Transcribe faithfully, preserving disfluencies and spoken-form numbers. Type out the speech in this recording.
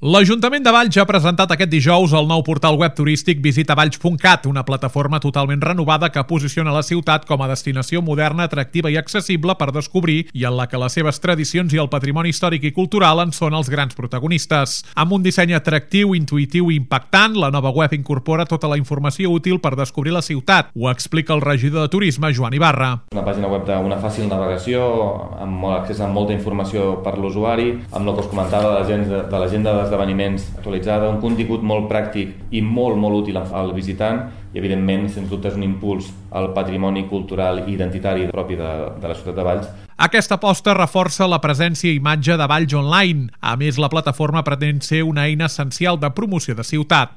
L'Ajuntament de Valls ha presentat aquest dijous el nou portal web turístic visita valls punt cat, una plataforma totalment renovada que posiciona la ciutat com a destinació moderna, atractiva i accessible per descobrir i en la que les seves tradicions i el patrimoni històric i cultural en són els grans protagonistes. Amb un disseny atractiu, intuïtiu i impactant, la nova web incorpora tota la informació útil per descobrir la ciutat. Ho explica el regidor de Turisme, Joan Ibarra. Una pàgina web d'una fàcil navegació, amb accés a molta informació per l'usuari, amb el que us comentava de l'agenda d'esdeveniments actualitzada, un contingut molt pràctic i molt, molt útil al visitant i, evidentment, sens dubte és un impuls al patrimoni cultural i identitari propi de, de la ciutat de Valls. Aquesta aposta reforça la presència i imatge de Valls online. A més, la plataforma pretén ser una eina essencial de promoció de ciutat.